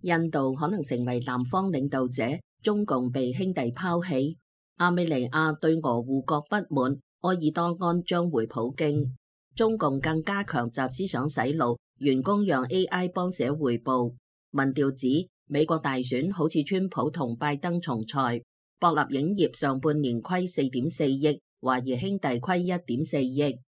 印度可能成為南方領導者，中共被兄弟拋棄。亞美尼亞對俄護國不滿，埃爾多安將回普京。中共更加強集思想洗腦，員工讓 AI 幫寫彙報。民調指美國大選好似川普同拜登重賽。博立影業上半年虧4.4億，華誼兄弟虧1.4億。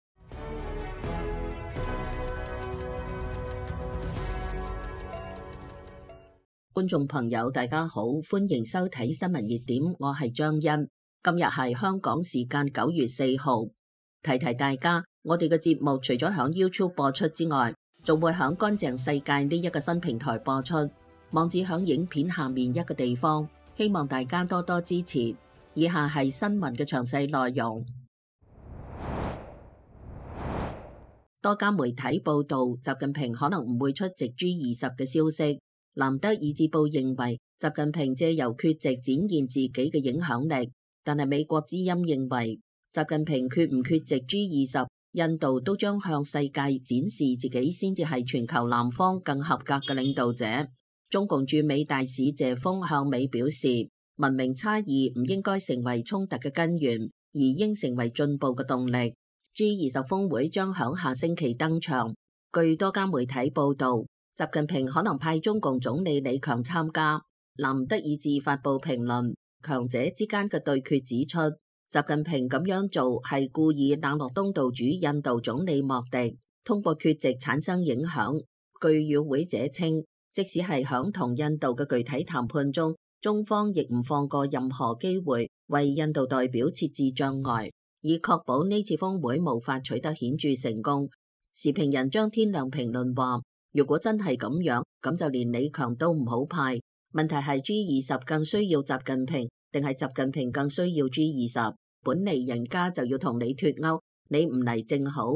觀眾朋友大家好，歡迎收睇新聞熱點，我係張欣。今日係香港時間9月4號。提提大家，我哋嘅節目除咗響 YouTube 播出之外，仲會響乾淨世界呢一個新平台播出。網址響影片下面一個地方，希望大家多多支持。以下係新聞嘅詳細內容。多家媒體報道，習近平可能唔會出席 G20 嘅消息。南德意志報認為，習近平借由缺席展現自己嘅影響力，但係美國之音認為，習近平缺唔缺席 G20，印度都將向世界展示自己先至係全球南方更合格嘅領導者。中共駐美大使謝鋒向美表示，文明差異唔應該成為衝突嘅根源，而應成為進步嘅動力。G20 峰會將響下星期登場。據多家媒體報道，習近平可能派中共總理李強參加。南德意志發布評論，強者之間嘅對決指出，習近平咁樣做係故意冷落東道主印度總理莫迪，通過缺席產生影響。據與會者稱，即使係響同印度嘅具體談判中，中方亦唔放過任何機會為印度代表設置障礙，以確保呢次峰會無法取得顯著成功。時評人張天亮評論話，如果真係咁樣，咁就連李強都唔好派。問題係 G20 更需要習近平，定係習近平更需要 G20？ 本嚟人家就要同你脫鈎，你唔嚟正好。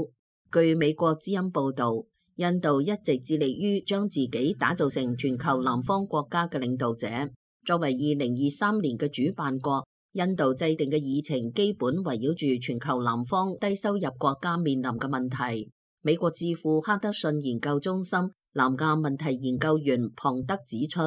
據美國之音報導，印度一直致力於將自己打造成全球南方國家嘅領導者。作為2023年嘅主辦國，印度制定嘅議程基本圍繞住全球南方低收入國家面臨嘅問題。美國智庫哈德遜研究中心南亞問題研究員龐德指出，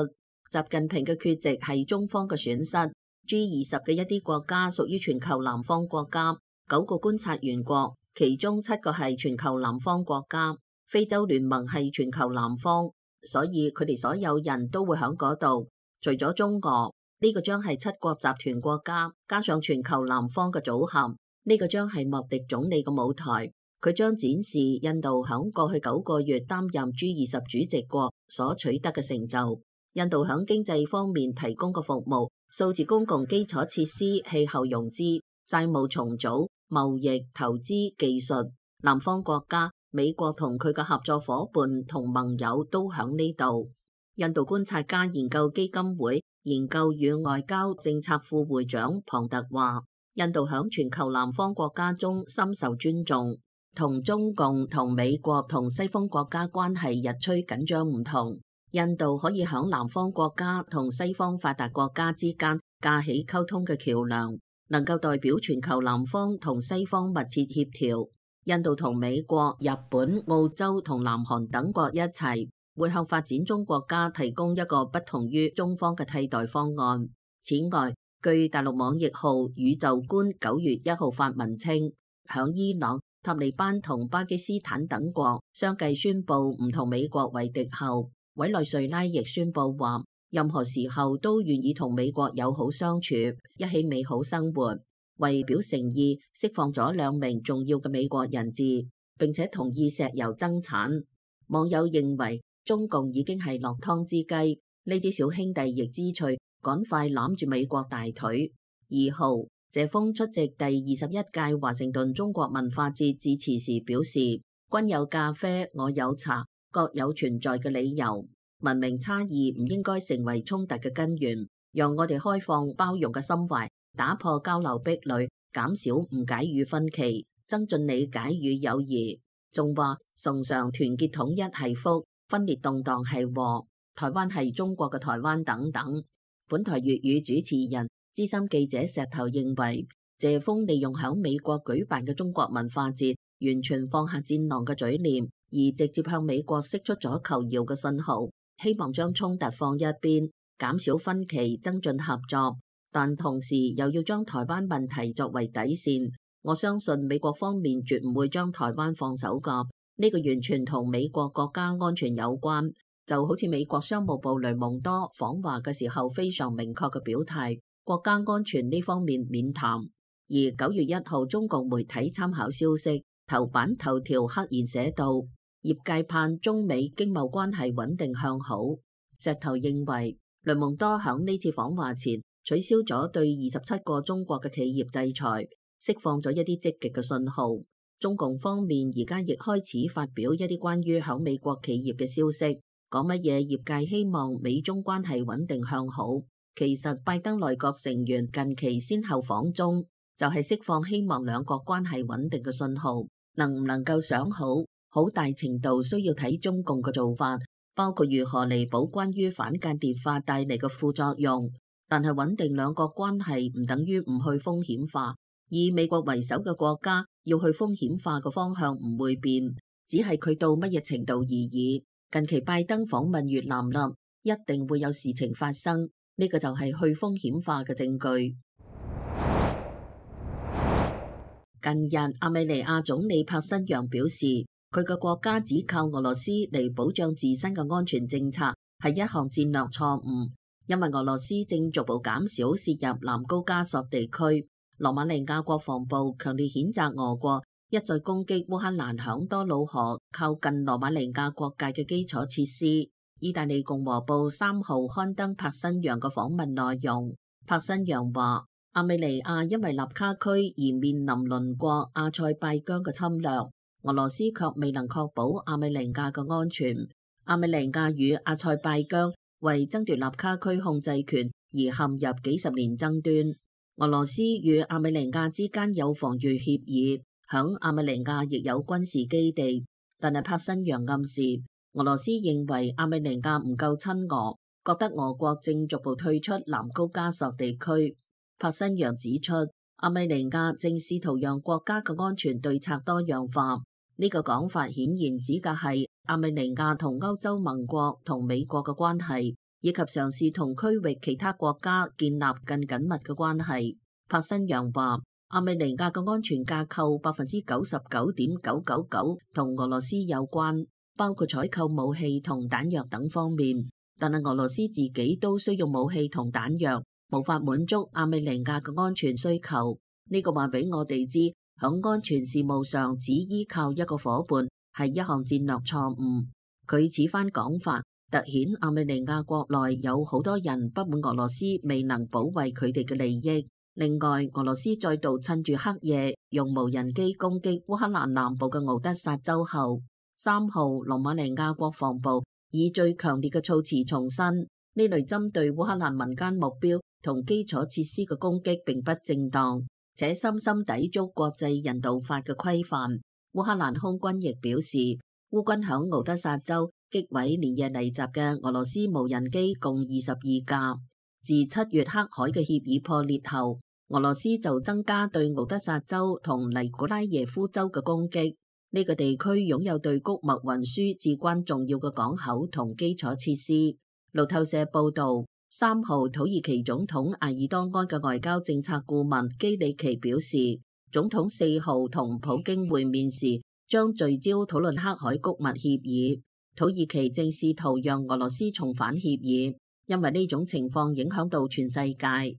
習近平嘅缺席係中方嘅損失。G20 嘅一啲國家屬於全球南方國家，9個觀察員國，其中7個係全球南方國家。非洲聯盟係全球南方，所以佢哋所有人都會喺嗰度。除咗中俄，呢個將係7國集團國家，加上全球南方嘅組合，呢個將係莫迪總理嘅舞台。佢將展示印度響過去9個月擔任 G20 主席國所取得嘅成就。印度響經濟方面提供嘅服務，數字公共基礎設施、氣候融資、債務重組、貿易、投資、技術。南方國家美國同佢嘅合作夥伴同盟友都響呢度。印度觀察家研究基金會研究與外交政策副會長龐特話，印度響全球南方國家中深受尊重。同中共、同美國、同西方國家關係日趨緊張唔同，印度可以響南方國家同西方發達國家之間架起溝通嘅橋樑，能夠代表全球南方同西方密切協調。印度同美國、日本、澳洲同南韓等國一齊，會向發展中國家提供一個不同於中方嘅替代方案。此外，據大陸網易號宇宙觀9月1號發文稱，響伊朗、塔利班同巴基斯坦等國相繼宣布唔同美國為敵後，委內瑞拉亦宣布話，任何時候都願意同美國友好相處，一起美好生活。為表誠意，釋放咗2名重要嘅美國人質，並且同意石油增產。網友認為中共已經係落湯之雞，呢啲小兄弟亦知趣，趕快攬住美國大腿。2號，謝鋒出席第21屆華盛頓中國文化節致辭時表示，君有咖啡，我有茶，各有存在嘅理由。文明差異唔應該成為衝突嘅根源，讓我哋開放包容嘅心懷，打破交流壁壘，減少誤解與分歧，增進理解與友誼。仲話崇尚團結統一係福，分裂動盪係禍，台灣係中國嘅台灣等等。本台粵語主持人資深記者石頭認為，謝鋒利用響美國舉辦嘅中國文化節，完全放下戰狼嘅嘴臉，而直接向美國釋出咗求饒嘅信號。希望將衝突放一邊，減少分歧，增進合作，但同時又要將台灣問題作為底線。我相信美國方面絕唔會將台灣放手㗎，呢個完全同美國國家安全有關。就好似美國商務部雷蒙多訪華嘅時候非常明確嘅表態，國家安全呢方面免談。而9月1號中共媒體參考消息，頭版頭條赫然寫道，業界盼中美經貿關係穩定向好。石頭認為雷蒙多響呢次訪華前取消咗對27個中國嘅企業制裁，釋放咗一啲積極嘅信號。中共方面而家亦開始發表一啲關於響美國企業嘅消息，講乜嘢業界希望美中關係穩定向好。其實拜登內閣成員近期先後訪中，就係釋放希望兩國關係穩定嘅信號。能唔能夠想好，好大程度需要睇中共嘅做法，包括如何彌補關於反間諜法帶嚟嘅副作用。但係穩定兩國關係唔等於唔去風險化，以美國為首嘅國家要去風險化嘅方向唔會變，只係佢到乜嘢程度而已。近期拜登訪問越南啦，一定會有事情發生，呢個就係去風險化嘅證據。近日，亞美尼亞總理帕辛揚表示，佢嘅國家只靠俄羅斯嚟保障自身嘅安全政策係一項戰略錯誤，因為俄羅斯正逐步減少涉入南高加索地區。羅馬尼亞國防部強烈譴責俄國一再攻擊烏克蘭響多瑙河靠近羅馬尼亞國界嘅基礎設施。意大利共和報3號刊登帕辛揚嘅訪問內容。帕辛揚話，亞美尼亞因為納卡區而面臨鄰國阿塞拜疆嘅侵略，俄羅斯卻未能確保亞美尼亞嘅安全。亞美尼亞與阿塞拜疆為爭奪納卡區控制權而陷入幾十年爭端。俄羅斯與亞美尼亞之間有防禦協議，響亞美尼亞亦有軍事基地，但係帕辛揚暗示俄羅斯認為亞美尼亞唔夠親俄，覺得俄國正逐步退出南高加索地區。帕辛揚指出，亞美尼亞正試圖讓國家嘅安全對策多樣化，呢個講法顯然指嘅係亞美尼亞同歐洲盟國同美國嘅關係，以及嘗試同區域其他國家建立更緊密嘅關係。帕辛揚話，亞美尼亞嘅安全架構99.999%同俄羅斯有關，包括採購武器同彈藥等方面，但係俄羅斯自己都需要武器同彈藥，無法滿足亞美尼亞嘅安全需求。呢個話俾我哋知，響安全事務上只依靠一個伙伴係一項戰略錯誤。佢此番講法凸顯亞美尼亞國內有好多人不滿俄羅斯未能保衛佢哋嘅利益。另外，俄羅斯再度趁住黑夜用無人機攻擊烏克蘭南部嘅敖德薩州後，3號羅馬尼亞國防部以最強烈嘅措辭重申，呢類針對烏克蘭民間目標同基礎設施嘅攻擊並不正當，且深深抵觸國際人道法嘅規範。烏克蘭空軍亦表示，烏軍響敖德薩州擊毀連夜嚟襲嘅俄羅斯無人機共22架。自7月黑海嘅協議破裂後，俄羅斯就增加對敖德薩州同尼古拉耶夫州嘅攻擊。呢個地區擁有對穀物運輸至關重要嘅港口同基礎設施。路透社報道，3號土耳其總統埃爾多安嘅外交政策顧問基里奇表示，總統4號同普京會面時將聚焦討論黑海穀物協議。土耳其正試圖讓俄羅斯重返協議，因為呢種情況影響到全世界。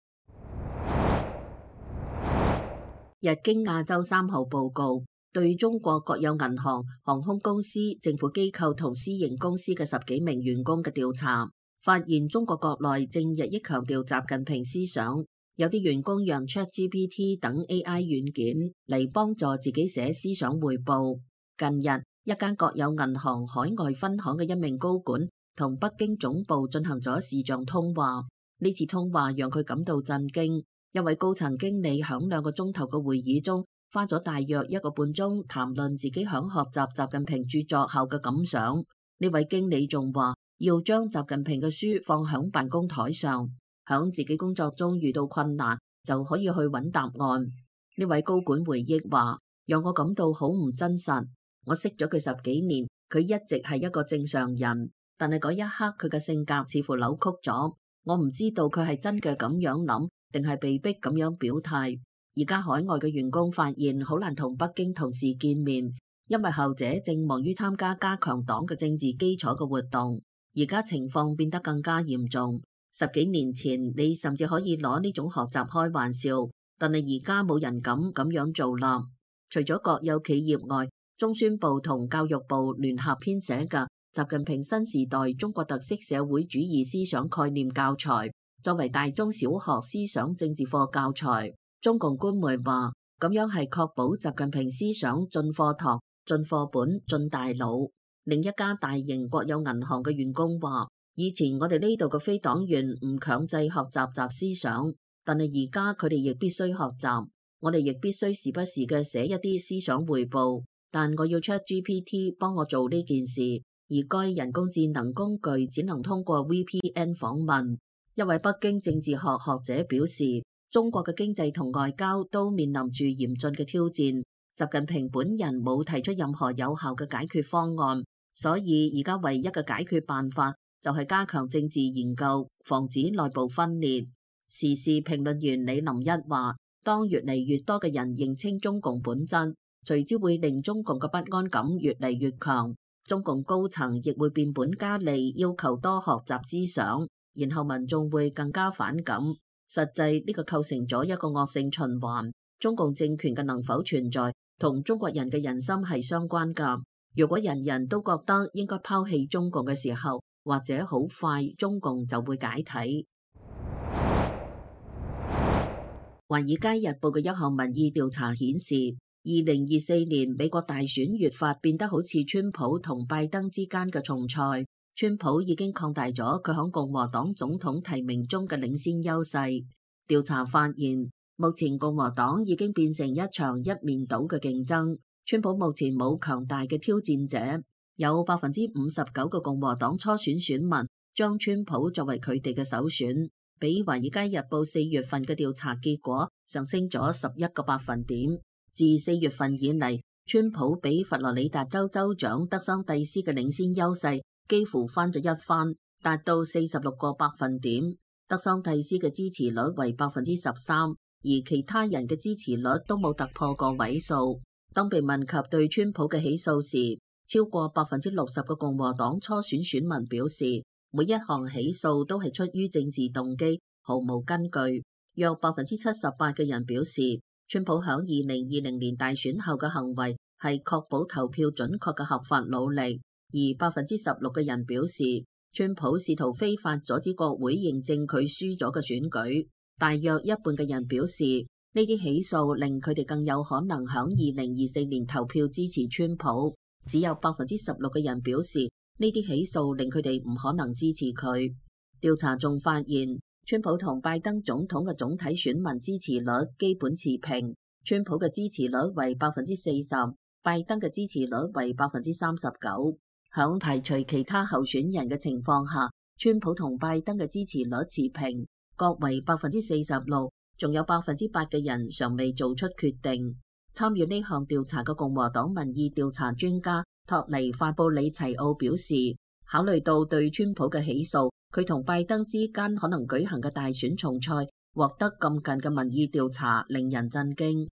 日經亞洲3號報告，對中國國有銀行、航空公司、政府機構同私營公司嘅10幾名員工嘅調查，發現中國國內正日益強調習近平思想，有啲員工讓 ChatGPT 等 AI 軟件嚟幫助自己寫思想匯報。近日，一間國有銀行海外分行嘅一名高管同北京總部進行咗視像通話，呢次通話讓佢感到震驚。一位高層經理響2個鐘頭嘅會議中，花咗大約1個半鐘談論自己響學習習近平著作後嘅感想。呢位經理仲話要將習近平嘅書放響辦公台上，響自己工作中遇到困難就可以去揾答案。呢位高管回憶話，讓我感到好唔真實。我識咗佢10幾年，佢一直係一個正常人，但係嗰一刻佢嘅性格似乎扭曲咗。我唔知道佢係真嘅咁樣諗，定係被逼咁樣表態。而家海外嘅員工發現好難同北京同事見面，因為後者正忙於參加加強黨嘅政治基礎嘅活動。而家情況變得更加嚴重。10幾年前你甚至可以攞呢種學習開玩笑，但係而家冇人敢咁樣做啦。除咗國有企業外，中宣部同教育部聯合編寫嘅習近平新時代中國特色社會主義思想概念教材，作為大中小學思想政治課教材。中共官媒話，咁樣係確保習近平思想進課堂、進課本、進大腦。另一家大型國有銀行嘅員工話，以前我哋呢度嘅非黨員唔強制學習習思想，但係而家佢哋亦必須學習。我哋亦必須時不時嘅寫一啲思想彙報，但我要 ChatGPT 幫我做呢件事，而該人工智能工具只能通過 VPN 訪問。一位北京政治學學者表示，中國嘅經濟同外交都面臨住嚴峻嘅挑戰。習近平本人冇提出任何有效嘅解決方案，所以而家唯一嘅解決辦法就係加強政治研究，防止內部分裂。時事評論員李林一話，當越嚟越多嘅人認清中共本質，隨之會令中共嘅不安感越嚟越強。中共高層亦會變本加厲，要求多學習思想，然後民眾會更加反感。實際呢個構成咗一個惡性循環。中共政權嘅能否存在，同中國人嘅人心係相關㗎。如果人人都覺得應該拋棄中共嘅時候，或者好快中共就會解體。《華爾街日報》嘅一項民意調查顯示，2024年美國大選越發變得好似川普同拜登之間嘅重賽。川普已經擴大咗佢響共和黨總統提名中嘅領先優勢。調查發現，目前共和黨已經變成一場一面倒嘅競爭。川普目前冇強大嘅挑戰者，有59%嘅共和黨初選選民將川普作為佢哋嘅首選。比《華爾街日報》4月份嘅調查結果上升咗11個百分點。自4月份以嚟，川普比佛羅里達州州長德桑蒂斯嘅領先優勢幾乎翻咗一番，達到46個百分點。德桑蒂斯嘅支持率為13%，而其他人嘅支持率都冇突破個位數。當被問及對川普嘅起訴時，超過60%嘅共和黨初選選民表示，每一項起訴都係出於政治動機，毫無根據。約78%嘅人表示，川普響2020年大選後嘅行為係確保投票準確嘅合法努力，而16%嘅人表示，川普試圖非法阻止國會認證佢輸咗嘅選舉。大約一半嘅人表示，呢啲起訴令佢哋更有可能響2024年投票支持川普。只有16%嘅人表示，呢啲起訴令佢哋唔可能支持佢。調查仲發現，川普同拜登總統嘅總體選民支持率基本持平，川普嘅支持率為40%，拜登嘅支持率為39%。響排除其他候選人嘅情況下，川普同拜登嘅支持率持平，各為46%，仲有8%嘅人尚未做出決定。參與呢項調查嘅共和黨民意調查專家托尼法布里齊奧表示，考慮到對川普嘅起訴，佢同拜登之間可能舉行嘅大選重賽獲得咁近嘅民意調查，令人震驚。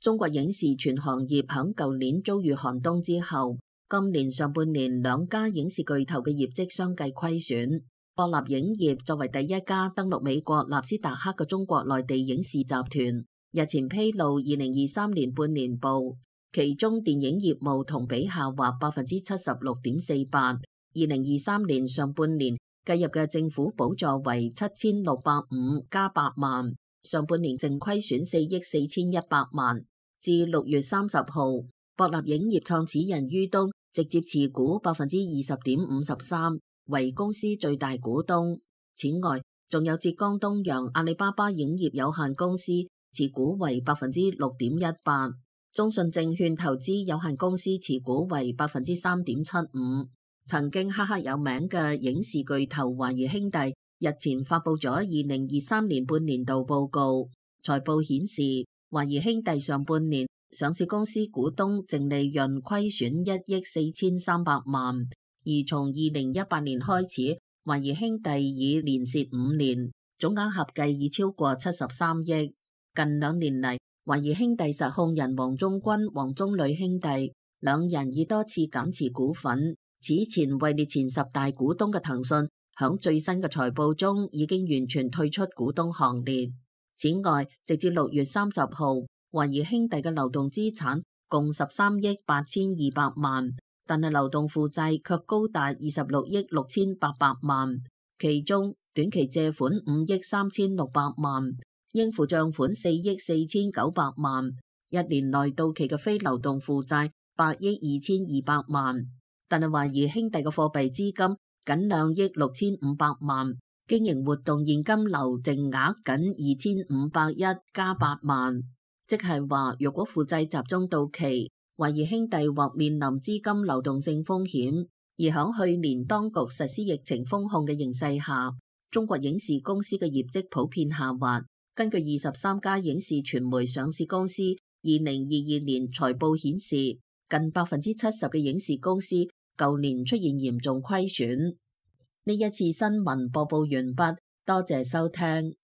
中國影視全行業響舊年遭遇寒冬之後，今年上半年兩家影視巨頭嘅業績相繼虧損。博納影業作為第一家登陸美國納斯達克嘅中國內地影視集團，日前披露2023年半年報，其中電影業務同比下滑76.48%。2023年上半年計入嘅政府補助為7650加8萬，上半年淨虧損4億4100萬。至6月30號，博納影業創始人于東直接持股20.53%，為公司最大股東。此外，仲有浙江東陽阿里巴巴影業有限公司持股為6.18%，中信證券投資有限公司持股為3.75%。曾經赫赫有名嘅影視巨頭華誼兄弟日前發布咗2023年半年度報告，財報顯示華誼兄弟上半年上市公司股東淨利潤虧損1億4300萬，而從2018年開始，華誼兄弟已連蝕5年，總額合計已超過73億。近2年嚟，華誼兄弟實控人王中軍、王中磊兄弟兩人已多次減持股份。此前位列前10大股東嘅騰訊，響最新嘅財報中已經完全退出股東行列。此外，直至6月30號，華誼兄弟嘅流動資產共13億8200萬，但係流動負債卻高達26億6800萬，其中短期借款5億3600萬，應付賬款4億4900萬，一年內到期嘅非流動負債8億2200萬。但係華誼兄弟嘅貨幣資金僅2億6500萬，經營活動現金流淨額僅2501加8萬，即係話若果負債集中到期，華誼兄弟或面臨資金流動性風險。而響去年當局實施疫情封控嘅形勢下，中國影視公司嘅業績普遍下滑。根據23家影視傳媒上市公司2022年財報顯示，近70%嘅影視公司舊年出現嚴重虧損。呢一次新聞播報完畢，多謝收聽。